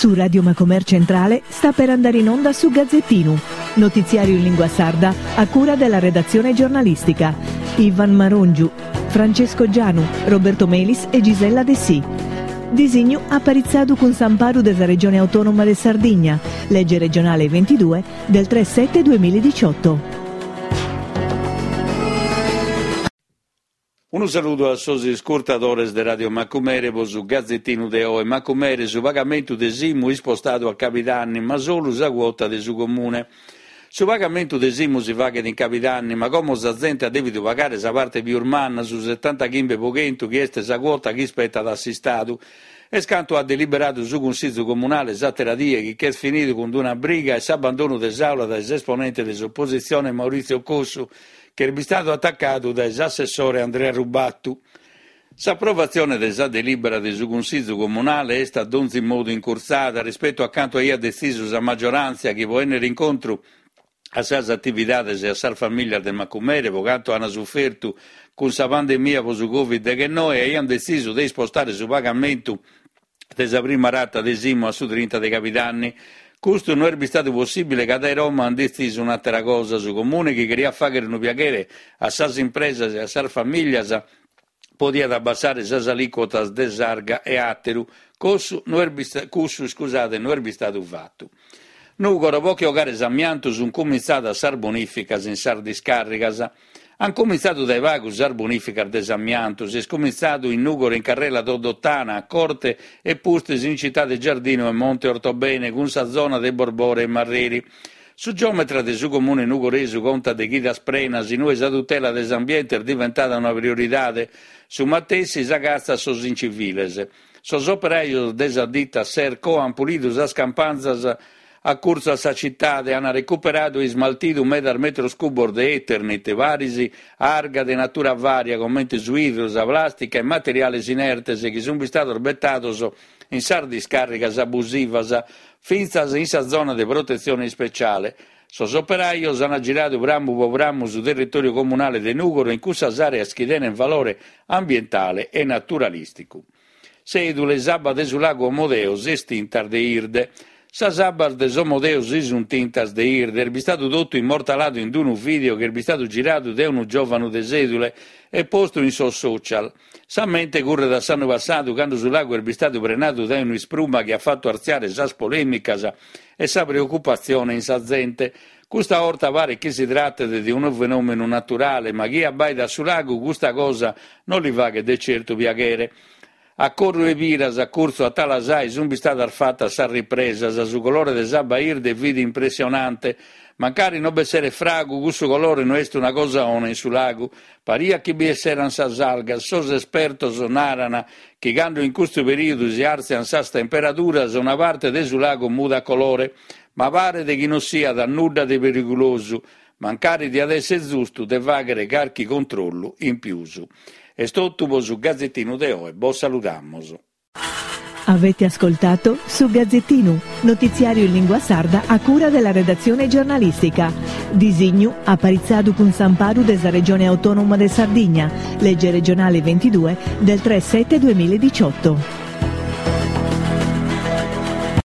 Su Radio Macomer Centrale sta per andare in onda su Gazzettinu, notiziario in lingua sarda a cura della redazione giornalistica. Ivan Marongiu, Francesco Gianu, Roberto Melis e Gisella Dessì. Disignu aparitzadu cun s'amparu de sa Regione Autonoma de Sardigna, lege regionale 22 del 3 7 2018. Unu saludu a sos iscurtadores de Radio Macumere pro su Gazetinu de oe. Macumere, su pagamentu de s'IMU ispostadu a cabidanni, ma solu sa cuota de su Comune. Su pagamentu de s'IMU si faghet in cabidanni, ma como sa zente at dèvidu pagare sa parte pius manna, su setantachimbe pro chentu chi est sa cuota chi ispetat a s'Istadu. Est cantu at deliberadu su Cunsizu Comunale s'àtera die chi ch'est finidu cun d'una briga e s'abbandonu de s'àula dae s'esponente de s'opositzione Maurizio Cossu, ch'est bistadu atacadu dae s'assessore Andrea Rubattu. S'aprovatzione de sa delìbera de su Cunsizu Comunale est a donzi modu incurtzada rispetu a cantu aiat detzisu sa magioràntzia chi pro ènnere incontru a sas atividades e a sas famìlias de Macumere pro cantu ant sufertu cun sa pandemia pro su Covid deghennoe aiant detzisu de ispostare su pagamentu de sa prima rata de s'IMU a su trinta de cabidanni. Custu no est bistadu possìbile ca dae Roma ant detzisu un'àtera cosa, su Comune chi cheriat fàghere unu piaghere a sas impresas e a sas famìlias podiat abbassare sas alìcuotas de s'arga e àteru, cussu no est cussu iscusade no est bistadu fatu. Nùgoro, pro che 'ogare s'amiantu sunt cumintzadas sas bonìficas in sas discàrrigas. Ant cumintzadu dae pagu sas bonìficas de s'amiantu, s'est cumintzadu in Nùgoro in carrela Doddotana, a Corte e pustis in Citade Giardinu e Monte Ortobene cun sa zona de Borbore e Marreri. Su giometra de su comune nugoresu contat de chidas prenas in ue sa tutela de s'ambiente est diventada una prioridade, su matessi sa catza a sos inciviles. Sos operajos de sa dita Serco ant pulidu sas campanzas a curtzu a sa citade, ant recuperadu e ismaltidu medas metros cubos de Eternit, paris a arga de natura vària comente su 'idru, sa plàstica e materiales inertes chi sunt bistados betados in sas discàrrigas abusivas, fintzas in sa zona de protetzione ispeciale. Sos operajos ant giradu prammu pro prammu su territòriu comunale de Nùgoro in cussas àreas chi tenent valore ambientale e naturalìsticu. Sèdule, s'abba de su lagu Omodeo s'est tinta de 'irde. Sas abbas de s'Omodeo si sunt tintas de 'irde. Est bistadu totu immortaladu in unu vìdeo chi est bistadu giradu dae unu giòvanu de Sèdule e postu in sos social. Sa mente curret a s'annu passadu cando su lagu est bistadu prenadu dae un'ispruma chi at fatu artziare sas polèmicas e sa preocupatzione in sa zente. Custa 'orta paret chi si tratet de unu fenòmenu naturale, ma chie abbaidat su lagu custa cosa non li faghet de certu piaghere. A Corru 'e Piras, a curtzu a Talasai, sunt bistadas fatas sas ripresas, su colore de s'abba 'irde fit impressionante. Mancari no b'esseret fragu, cussu colore no est una cosa 'ona in su lagu. Pariat chi bi esseran sas algas. Sos espertos naran chi cando in custu perìodu si àrtzian sas temperaduras una parte de su lagu mudat colore, ma paret chi no siat nudda de perigulosu, mancari diat èssere zustu de fàghere carchi controllu in pius. Est totu pro su Gazetinu de oe, bos saludamus. Avete ascoltato Su Gazzettinu, notiziario in lingua sarda a cura della redazione giornalistica. Disignu aparitzadu cun s'amparu de sa Regione Autonoma de Sardigna, legge regionale 22 del 3 7 2018.